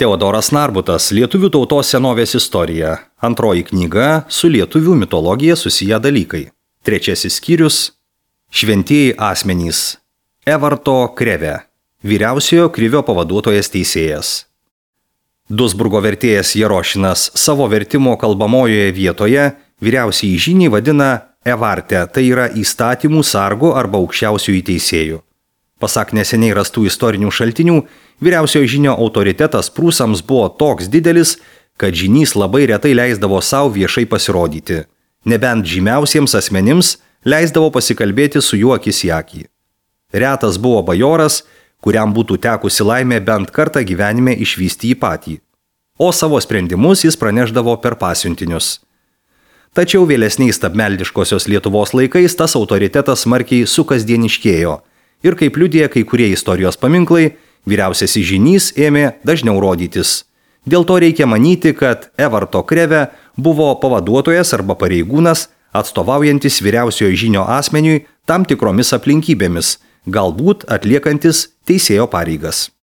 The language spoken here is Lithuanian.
Teodoras Narbutas, Lietuvių tautos senovės istorija. Antroji knyga su lietuvių mitologija susiję dalykai. Trečiasis skyrius – Šventieji asmenys. Evarto Kreve, vyriausiojo Krivio pavaduotojas teisėjas. Duisburgo vertėjas Jerošinas savo vertimo kalbamojoje vietoje vyriausiąjį žynį vadina Evarte, tai yra įstatymų sargu arba aukščiausiųjų teisėjų. Pasak neseniai rastų istorinių šaltinių, vyriausiojo žynio autoritetas prūsams buvo toks didelis, kad žynys labai retai leisdavo savo viešai pasirodyti. Nebent žymiausiems asmenims leisdavo pasikalbėti su juo akis į akį. Retas buvo bajoras, kuriam būtų tekusi laimė bent kartą gyvenime išvysti jį patį. O savo sprendimus jis praneždavo per pasiuntinius. Tačiau vėlesniais stabmeldiškosios Lietuvos laikais tas autoritetas smarkiai sukasdieniškėjo. Ir kaip liudija kai kurie istorijos paminklai, vyriausiasis žynys ėmė dažniau rodytis. Dėl to reikia manyti, kad Evarto Kreve buvo pavaduotojas arba pareigūnas, atstovaujantis vyriausiojo žynio asmeniui tam tikromis aplinkybėmis, galbūt atliekantis teisėjo pareigas.